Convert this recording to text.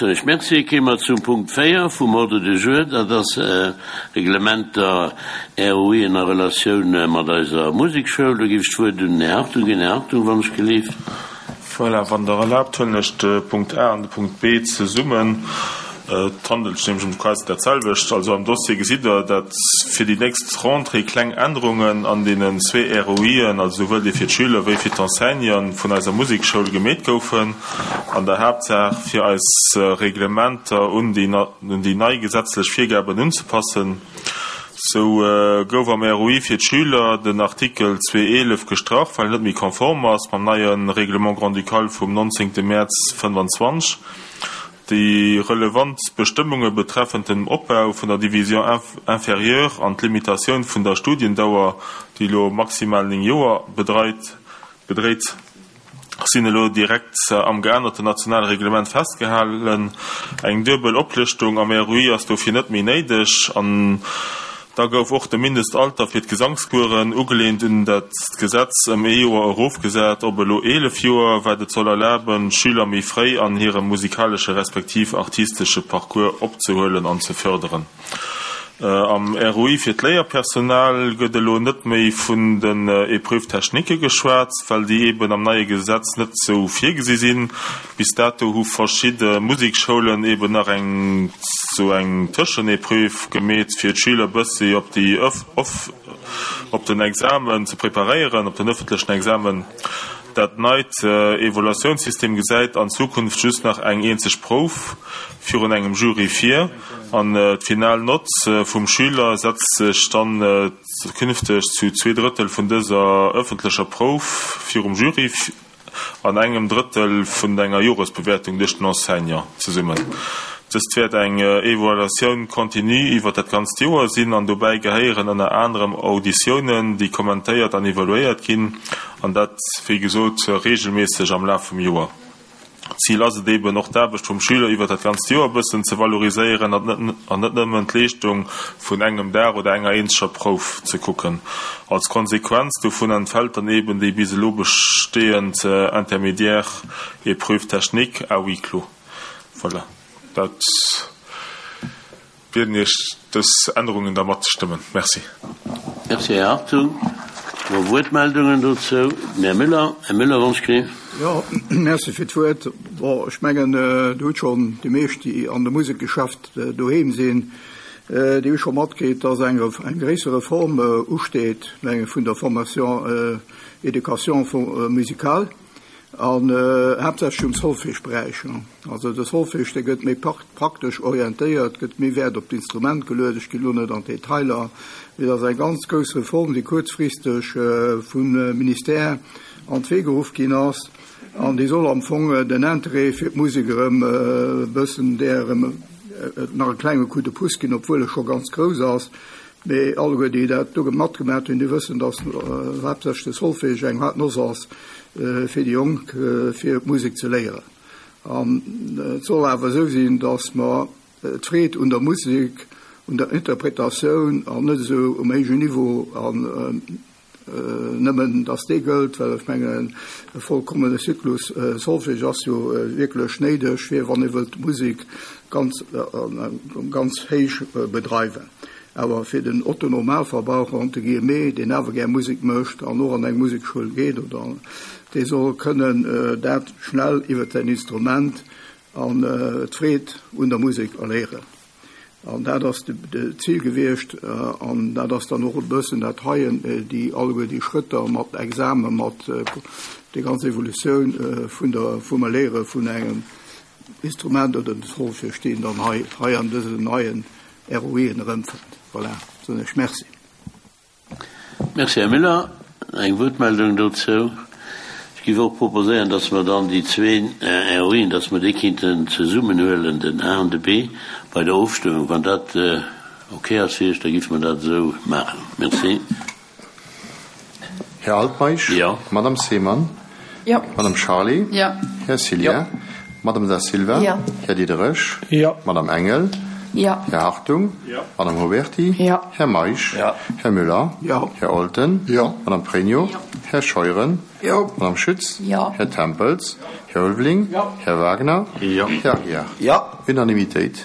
Ech Merci. Kéime mer zum Punkt 4 vum Ordre du jour. Dat ass Reglementer, ROIen a Relatioun mat eiser Musekschoul. Do géif ech d'Wuert un den Här Hartung ginn. Här Hartung, wann ech gelift. Voilà, wann Der erlaabt, huelen ech de Punkt A an de Punkt B zesummen. Et handelt sech nämlech ëm quasi dat selwecht. Also am Dossier gesitt Der, datt fir déi nächst Rentrée kleng Ännerungen an deenen zwee ROIen, also souwuel dee fir d'Schüler wéi fir d'Enseignanten vun eiser Musekschoul gemeet goufen. An der Haaptsaach fir eis Reglementer un déi un déi nei gesetzlech Virgaben unzepassen. Sou gouf am ROI fir d'Schüler den Artikel 211 gestrach, well en net méi konform ass mam neie Règlement grand-ducal vum 19 Mäerz 25. Déi relevant Bestëmmunge betreffend den Opbau vun der Division inférieure an d'Limitatioun vun der Studiendauer, déi elo maximal 9 Joer bedreit, bedréit, sinn elo direkt am geännerten nationale Reglement festgehalen. Eng duebel Oplëschtung am ROI ass dofir net méi néideg. An da gouf och de Mindestalter fir d'Gesangskueren, ugeleent un dat Gesetz, ëm ee Joer erofgesat op elo 11 Joer, wat et soll erlaben, d'Schüler méi fréi an hirem musikalesche respektiv artistesche Parcours opzehuelen an ze fërderen. Am ROI fir d'Léierpersonal gëtt elo net méi vun den Épreuves techniques geschwat, well déi eeben am neie Gesetz net esou virgesi sinn. Bis dato hu verschidde Musikschoulen eeben nach eng sou eng Tëschenépreuve gemeet, fir d'Schüler bëssi op déi op den Examen ze preparéieren, op den ëffentlechen Examen. Dat neit Evaluatiounssystem gesäit an Zukunft just nach eng eenzeg Prouf virun engem Jury vir an d'final Nott vum Schüler setzt sech dann künfteg zu 2 Drëttel vun dëser ëffentlecher Prouf virum Jury an engem Drëttel vun enger Joresbewäertung duerch den Enseignant zesummen. Dëst wäert eng Evaluatioun continue iwwer dat ganzt Joer sinn an dobäi gehéieren ënner anerem Auditiounen, déi kommentéiert an evaluéiert ginn, an dat, wéi gesot, reegelméisseg am Laf vum Joer. Zil ass et eeben, och d'Aarbecht vum Schüler iwwer dat ganzt Joer e bëssen ze valoriséieren an net nëmmen d'Leeschtung vun engem Dag oder enger eenzeger Prouf ze kucken. Als Konsequenz dovun entfält dann eeben déi bis elo besteeënd intermédiaire épreuve technique à huis clos. Voilà, dat bieden Iech, dës Ännerungen da matzestëmmen. Merci. Merci, Här Hartung. Elo Wuertmeldungen dozou. Den Här Müller. Här Müller, wann ech kritt. Jo, merci fir d'Wuert. Bon, ech mengen, Dir hutt schonn, déi meescht, déi an dem Musekgeschäft doheem sinn, déi hu scho matkritt, dass eng eng gréisser Reform usteet, menge vun der Formation éducation musicale. An haaptsächlech um Solfège-Beräich. Also de Solfège, dee gëtt méi praktesch orientéiert, gëtt méi Wäert op d'Instrument geluet. Ech ginn elo net an d'Detailer, mee dat ass eng ganz grouss Reform, déi kuerzfristeg vum Ministère an d'Wee geruff ginn ass. An déi soll am Fong den Interêt fir d'Musek erëm e bëssen, där erëm nach e klenge Coup de pouce ginn, obwuel e scho ganz grouss ass. Mee alleguer, déi dat do matgemaat hunn, déi wëssen, dass haaptsächlech de Solfège eng haart Noss ass fir déi Jonk, fir d'Musek ze léieren. An et soll awer esou sinn, dass mer d'Freed un der Musek, un der Interpretatioun an net esou um héijen Niveau an Nëmmen datt dee gëllt, well ech mengen, e vollkommene Zyklus Solfège ass jo wierklech néideg, fir wann ee wëllt Musek ganz, ganz héich bedreiwen. Awer fir den Otto-Normalverbraucher, entre guillemets, deen awer gär Musek mécht an och an eng Musekschoul geet oder, dee soll kënnen dat schnell iwwer säin Instrument an d'Freed un der Musek erléieren. An dat ass d'Zil gewiescht. An dat ass dann och e bëssen dat heien, déi alleguer déi Schrëtter mat Examen, mat déi ganz Evolutioun vun der, vum Erléiere vun engem Instrument oder dem Solfège, déi een dann hei, hei an dësen neien ROIen erëmfënnt. Voilà, soen ech Merci. Merci, Här Müller. Eng Wuertmeldung dozou? Ech géif och proposéieren, dass mer dann déi zwee ROIen, dass mer déi kéinten zesummenhuelen, den A an de B, bei der Ofstëmmung. Wann dat okay ass fir Iech, da géife mer dat esou maachen. Merci. Här Altmeisch? Jo. Madame Seemann? Jo. Madame Charlé? Jo. Här Cillien? Jo. Madame Da Silva? Jo. Här Diderich? Jo. Madame Engel? Jo. Här Hartung? Jo. Madame Huberty? Jo. Här Meisch? Jo. Här Müller? Jo. Här Olten? Jo. Madame Pregno? Jo. Här Scheuren? Jo. Madame Schütz. Jo. Här Tempels. Här Ulveling. Jo. Här Wagner. Jo. Här Aguiar. Jo. Unanimitéit.